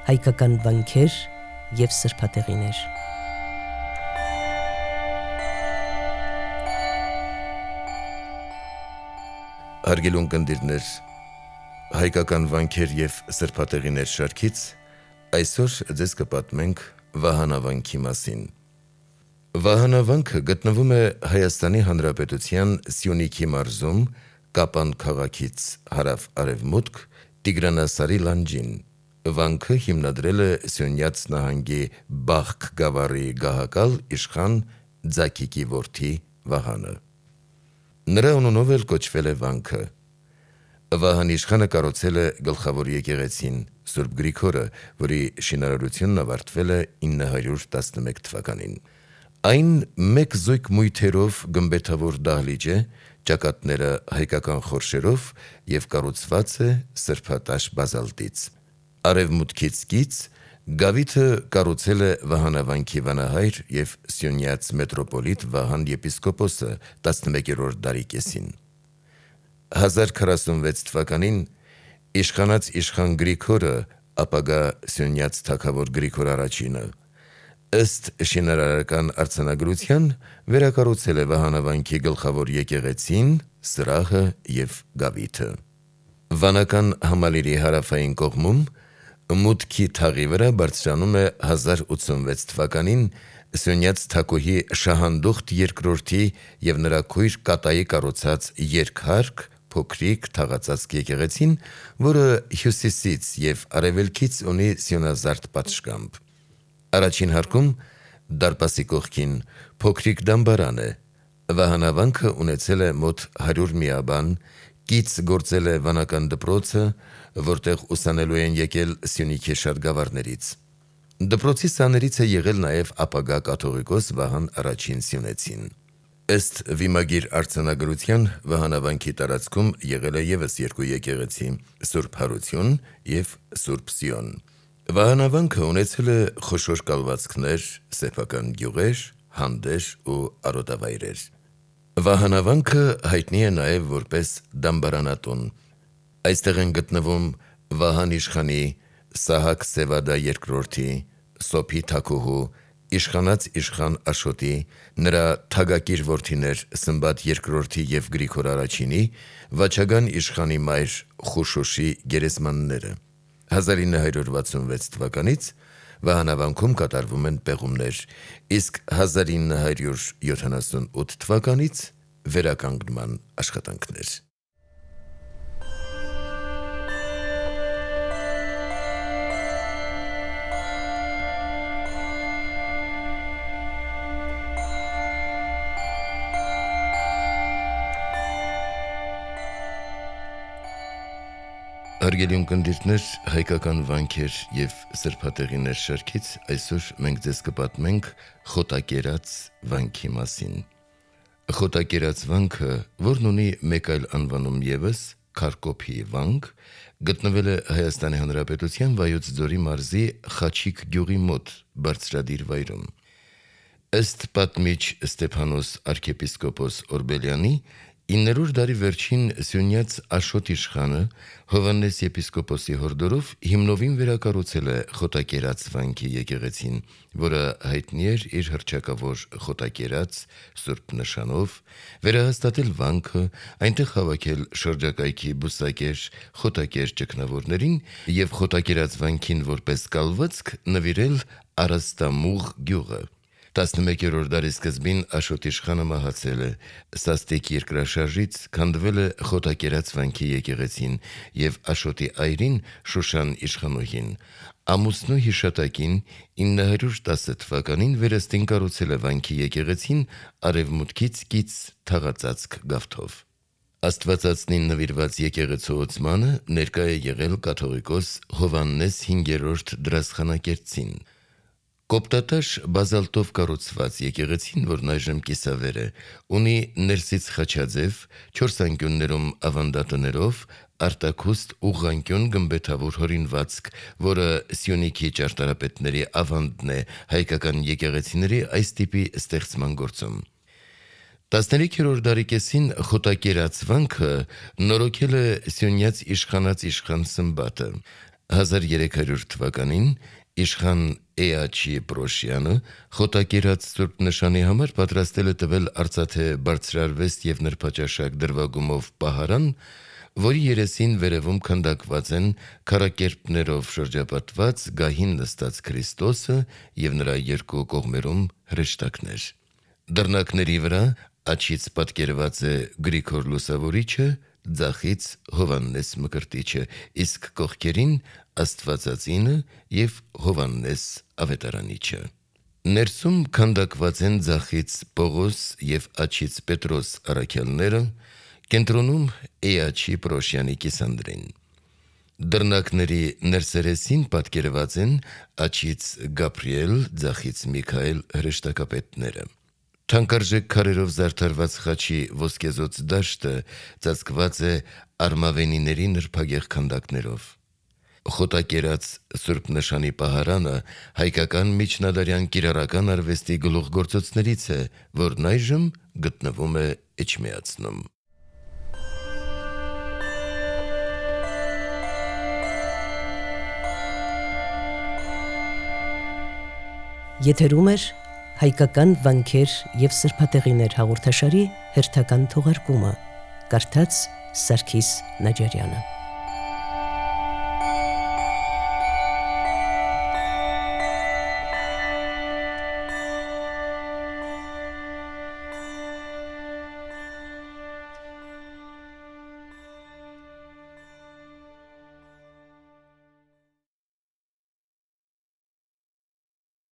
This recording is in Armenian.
հայկական վանքեր և սրբատեղիներ։ Հարգելի ունկնդիրներ, հայկական վանքեր և սրբատեղիներ շարքից այսօր ձեզ կպատմենք վահանավանքի մասին։ Վահանավանքը գտնվում է Հայաստանի Հանրապետության Սյունիքի մարզում, Կապան քաղաքից հարավ-արևմուտք, Տիգրանասարի լանջին։ Վանքը հիմնադրել է Սյունյաց նահանգի Բախկ գավառի գահակալ իշխան Ձագիկի որդի Վահանը։ Նրա անունով էլ կոչվել է վանքը։ Վահան իշխանը կառուցել է գլխավոր եկեղեցին Սուրբ Գրիգորը, որի շինարարությունն ավարտվել է 911 թվականին։ Այն մեկ զույգ մույթերով գմբեթավոր դահլիճ է, ճակատները հայկական խորշերով և կառուցված է սրբատաշ բազալտից։ Արևմուտքից կից գավիթը կառուցել է վահանավանքի վանահայր և Սյունյաց մետրոպոլիտ Վահան եպիսկոպոսը 11-րդ դարի կեսին։ 1046 թվականին իշխանած իշխան Գրիգորը, ապագա Սյունյաց թագավոր Գրիգոր I-ը, ըստ շինարարական արձանագրության վերակառուցել է վահանավանքի գլխավոր եկեղեցին, սրահը և գավիթը։ Վանական համալիրի հարավային կողմում մուտքի թաղի վրա բարձրանում է 1086 թվականին Սյունյաց թագուհի Շահանդուխտ II և նրա քույր Կատայի կառուցած երկհարկ, փոքրիկ թաղածածկ եկեղեցին, որը հյուսիսից և արևելքից ունի սյունազարդ պատշգամբ։ Առաջին հարկում, դարպասի կողքին, փոքրիկ դամբարան է։ Վահանավանքը ունեցել է մոտ 100 միաբան, կից գործել է վանական դպրոցը, որտեղ ուսանելու են եկել Սյունիքի շատ գավառներից։ Դպրոցի սաներից է եղել նաև ապագա կաթողիկոս Վահան I Սյունեցին։ Ըստ վիմագիր արձանագրության, վահանավանքի տարածքում եղել է ևս երկու եկեղեցի՝ Սուրբ Հարություն և Սուրբ Սիոն։ Վահանավանքը ունեցել է խոշոր կալվածքներ, սեփական գյուղեր, հանդեր ու արոտավայրեր։ Վահանավանքը հայտնի է նաև որպես դամբարանատուն։ Այստեղ են գտնվում Վահան իշխանի, Սահակ Սևադա II, Սոփի թագուհու, իշխանած իշխան Աշոտի, նրա թագակիր որդիներ Սմբատ II և Գրիգոր I-ի, վաչագան իշխանի մայր Խուշուշի գերեզմանները։ 1966 թվականից վահանավանքում կատարվում են պեղումներ, իսկ 1978 թվականից վերականգնման աշխատանքներ։ Հարգելի ունկնդիրներ, հայկական վանքեր և սրբատեղիներ շարքից այսօր մենք ձեզ կպատմենք Խոտակերաց վանքի մասին։ Խոտակերաց վանքը, որն ունի մեկ այլ անվանում ևս՝ Քարկոփի վանք, գտնվել է Հայաստանի Հանրապետության Վայոց ձորի մարզի Խաչիկ գյուղի մոտ բարձրադիր վայրում։ Ըստ պատմիչ Ստեփանոս arczepiskopos Օրբելյանի, 9-րդ դարի վերջին Սյունյաց Աշոտ իշխանը Հովհաննես եպիսկոպոսի հորդորով հիմնովին վերակառուցել է Խոտակերաց վանքի եկեղեցին, որը հայտնի էր իր հռչակավոր Խոտակերաց սուրբ նշանով, վերահաստատել վանքը, այնտեղ հավաքել շրջակայքի բուսակեր, խոտակեր ճգնավորներին և Խոտակերաց վանքին որպես կալվածք նվիրել Արաստամուղ գյուղը։ 11-րդ դարի սկզբին Աշոտ իշխանը մահացել է։ Սաստիկ երկրաշարժից քանդվել է Խոտակերաց վանքի եկեղեցին և Աշոտի այրին Շուշան իշխանուհին ամուսնու հիշատակին 910 թվականին վերստին կառուցել է վանքի եկեղեցին արևմուտքից կից թաղածածկ գավթով։ Աստվածածնին նվիրված եկեղեցու օծմանը ներկա է եղել կաթողիկոս Հովհաննես 5-րդ դրասխանագերծին։ Կոպտատաշ բազալտով կառուցված եկեղեցին, որն այժմ կիսավեր է, ունի ներսից խաչաձև, 4 անկյուններում ավանդատներով, արտաքուստ ուղղանկյուն գմբեթավոր հորինվածք, որը Սյունիքի ճարտարապետների ավանդն է հայկական եկեղեցիների այս տիպի ստեղծման գործում։ 13-րդ դարի կեսին Խոտակերաց վանքը նորոգել է Սյունյաց իշխանած իշխան Սմբատը։ 1300 թվականին իշխան Էաչի Պրոշյանը խոտակերած Սուրբ նշանի համար պատրաստել է տվել արծաթե բարձրարվեստ և նրբաճաշակ դրվագումով պահարան, որի երեսին վերևում քանդակված են քառակերպներով շրջապատված գահին նստած Քրիստոսը և նրա երկու կողմերում հրեշտակներ։ Դռնակների վրա աջից պատկերված է Գրիգոր Լուսավորիչը, ձախից Հովհաննես Մկրտիչը, իսկ կողքերին Աստվածածինը և Հովհաննես Ավետարանիչը։ Ներսում քանդակված են ձախից Պողոս և աջից Պետրոս առաքյալները, կենտրոնում Էաչի Պրոշյանի կիսանդրին։ Դռնակների ներսերեսին պատկերված են աջից Գաբրիել, ձախից Միքայել հրեշտակապետները։ Թանկարժեք քարերով զարդարված խաչի ոսկեզօծ դաշտը ծածկված է արմավենիների նրբագեղ քանդակներով։ Խոտակերած Սուրբ նշանի պահարանը հայկական միջնադարյան կիրառական արվեստի գլուխգործոցներից է, որն այժմ գտնվում է Էջմիածնում։ Եթերում է հայկական վանքեր և սրբատեղիներ հաղորդաշարի հերթական թողարկումը, կարդաց Սարգիս Նաջարյանը։